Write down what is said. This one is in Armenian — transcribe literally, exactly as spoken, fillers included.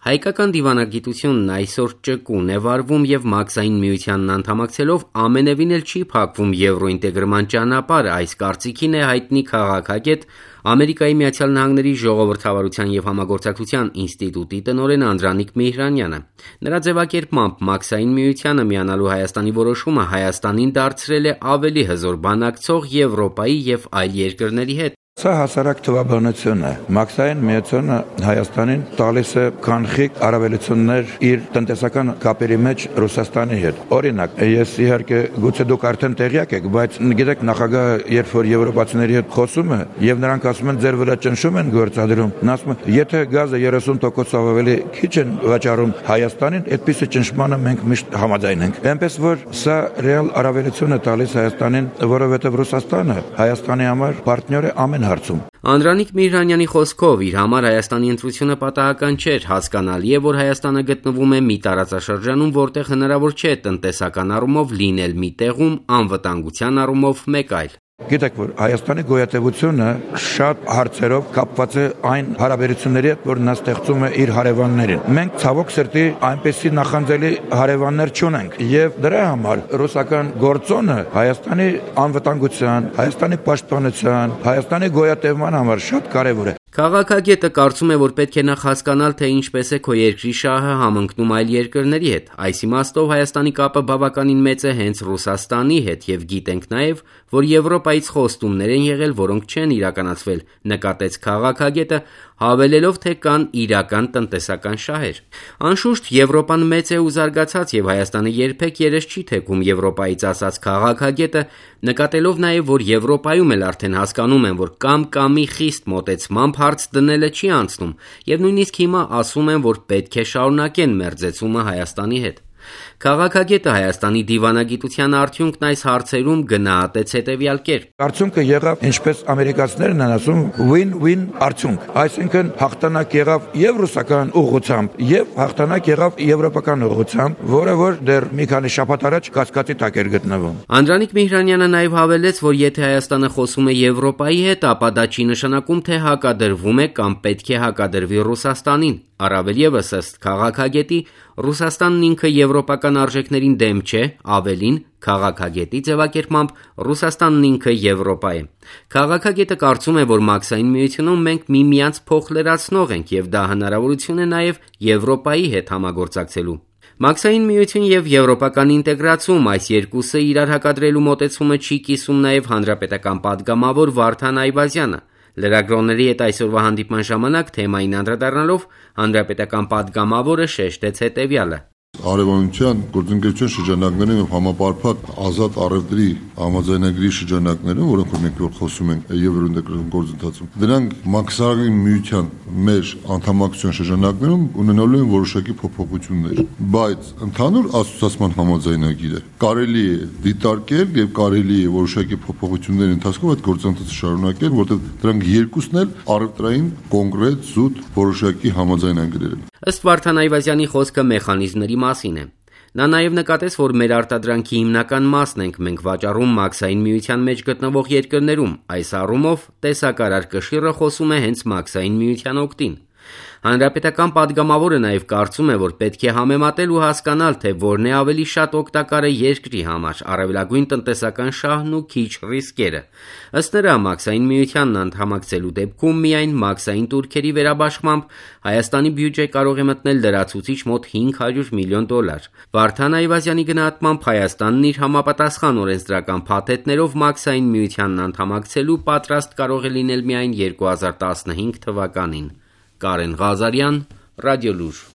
Հայկական դիվանագիտությունն այսօր ճկուն է վարվում եւ Մաքսային միությանն անդամակցելով ամենևին էլ չի փակվում եվրոինտեգրման ճանապարհը, այս կարծիքին է հայտնի քաղաքագետ Ամերիկայի Միացյալ Նահանգների ժողովրդավարության եւ համագործակցության ինստիտուտի տնօրեն Անդրանիկ Միհրանյանը։ Նրա ձևակերպմամբ Մաքսային միությանը միանալու Հայաստանի որոշումը Հայաստանին դարձրել է ավելի հզոր բանակցող Եվրոպայի եւ այլ երկրների հետ։ Սա հասարակ թվաբանություն է։ Մաքսային միությունը Հայաստանին տալիս է կանխիկ առավելություններ իր տնտեսական կապերի մեջ Ռուսաստանի հետ։ Օրինակ, ես իհարկե գուցե դուք արդեն տեղյակ եք, բայց գիտեք նախագահը երբ որ եվրոպացիների հետ խոսում է եւ նրանք ասում են ձեր վրա ճնշում են գործադրում, նա ասում է եթե գազը երեսուն տոկոսով ավելի քիչ են վաճառում Հայաստանին, այդպիսի ճնշմանը մենք միշտ համաձայն ենք։ Այնպես որ սա ռեալ առավելություն է տալիս Հայաստանին, որովհետեւ Ռուսաստանը Հայաստանի համար պարտներ է ամեն հարցում։ Անդրանիկ Միհրանյանի խոսքով իր համար Հայաստանի ընտրությունը պատահական չէր, հասկանալի է, որ Հայաստանը գտնվում է մի տարածաշրջանում, որտեղ հնարավոր չէ տնտեսական առումով լինել մի տեղում, անվտանգության առումով մեկ այլ։ Գիտեք, որ Հայաստանի գոյատևությունը շատ հարցերով կապված է այն հարաբերությունների հետ, որ նա ստեղծում է իր հարևաններին։ Մենք ցավոք սրտի այնպեսի նախանձելի հարևաններ չունենք, եւ դրա համար ռուսական գործոնը Հայաստանի անվտանգության, Հայաստանի պաշտպանության, Հայաստանի գոյատևման համար շատ կարեւոր է։ Քաղաքագետը կարծում է, որ պետք է նախ հասկանալ, թե ինչպես է քո երկրի շահը համընկնում այլ երկրների հետ։ Այս իմաստով Հայաստանի կապը բավականին մեծ է հենց Ռուսաստանի հետ եւ գիտենք նաեւ, որ Եվրոպայից խոստումներ են եղել, որոնք չեն իրականացվել, նկատեց քաղաքագետը, հավելելով, թե կան իրական տնտեսական շահեր։ Անշուշտ Եվրոպան մեծ է ու զարգացած եւ Հայաստանը երբեք երես չի թեքում Եվրոպայից, ասաց քաղաքագետը, նկատելով նաեւ, որ Եվրոպայում էլ արդեն հասկանում են, որ կամ կամի խիստ մոտեցմամբ հարց դնելը չի անցնում եւ նույնիսկ հիմա ասում են, որ պետք է շարունակեն մերձեցումը Հայաստանի հետ։ Քաղաքագետը Հայաստանի դիվանագիտության արդյունքն այս հարցերում գնահատեց հետևյալ կերպ. Արդյունքը եղավ, ինչպես ամերիկացիներն են ասում, win-win արդյունք, այսինքն հաղթանակ եղավ եւ ռուսական ուղղությամբ եւ հաղթանակ եղավ եվրոպական ուղղությամբ, որը որ դեռ մի քանի շաբաթ առաջ կասկածի տակ էր գտնվում։ Անդրանիկ Միհրանյանը նաեւ հավելեց, որ եթե Հայաստանը խոսում է Եվրոպայի հետ, ապա դա չի նշանակում, թե հակադրվում է կամ պետք է հակադրվի Ռուսաստանին։ Առավել եւս ըստ քաղաքագետի, Ռուսաստանն ինքը եվրոպական արժեքներին դեմ չէ, ավելին, քաղաքագետի ձևակերպմամբ Ռուսաստանն ինքը Եվրոպա է։ Քաղաքագետը կարծում է, որ Մաքսային միությունում մենք միմյանց փոխլրացնող ենք եւ դա հնարավորություն է նաեւ Եվրոպայի հետ համագործակցելու։ Մաքսային միություն եւ եվրոպական ինտեգրացում այս երկուսը իրար հակադրելու մոտեցումը չի կիսում նաեւ հանրապետական падգամավոր Վարդան Այվազյանը։ Լրագրողների հետ այսօրվա հանդիպման ժամանակ թեմային անդրադառնալով հանրապետական падգամավորը շեշտեց հետևյալը. Արևանության գործընկերության շրջանակներում եւ համապարփակ ազատ առևտրի համաձայնագրի շրջանակներում, որոնք որ մենք խոսում ենք եվրոինտեգրացիոն գործընթացում, դրանք Մաքսային միության մեր անդամակցության շրջանակներում ունենալու են որոշակի փոփոխություններ, բայց ընդհանուր ասոցիացիան համաձայնագիրը կարելի է դիտարկել եւ կարելի է որոշակի փոփոխությունների ընթացքում այդ գործընթացը շարունակել, որտեղ դրանք երկուսն էլ առևտրային կոնկրետ զուտ որոշակի համաձայնագրեր են։ Ըստ Վարդան Այվազյանի խոսքը մեխանիզմների մասին է։ Նա նաև նկատեց, որ մեր արտադրանքի հիմնական մասն ենք մենք վաճառում Մաքսային միության մեջ գտնվող երկրներում։ Այս առումով տեսակարար կշիռը խոսում է հենց Մաքսային միության օգտին։ Հանրապետական падգամավորը նաև կարծում է, որ պետք է համեմատել ու հասկանալ, թե որն է ավելի շատ օգտակարը երկրի համար, առավելագույն տնտեսական շահն ու քիչ ռիսկերը։ Ըստ նրա, Մաքսային միությանն անդամակցելու դեպքում միայն մաքսային տուրքերի վերաբաշխմամբ Հայաստանի բյուջե կարող է մտնել լրացուցիչ մոտ հինգ հարյուր միլիոն դոլար։ Վարդան Այվազյանի գնահատմամբ Հայաստանն իր համապատասխան օրենսդրական փաթեթներով Մաքսային միությանն անդամակցելու պատրաստ կարող է լինել միայն երկու հազար տասնհինգ թվականին։ Կարեն Ղազարյան, Ռադիոլուր։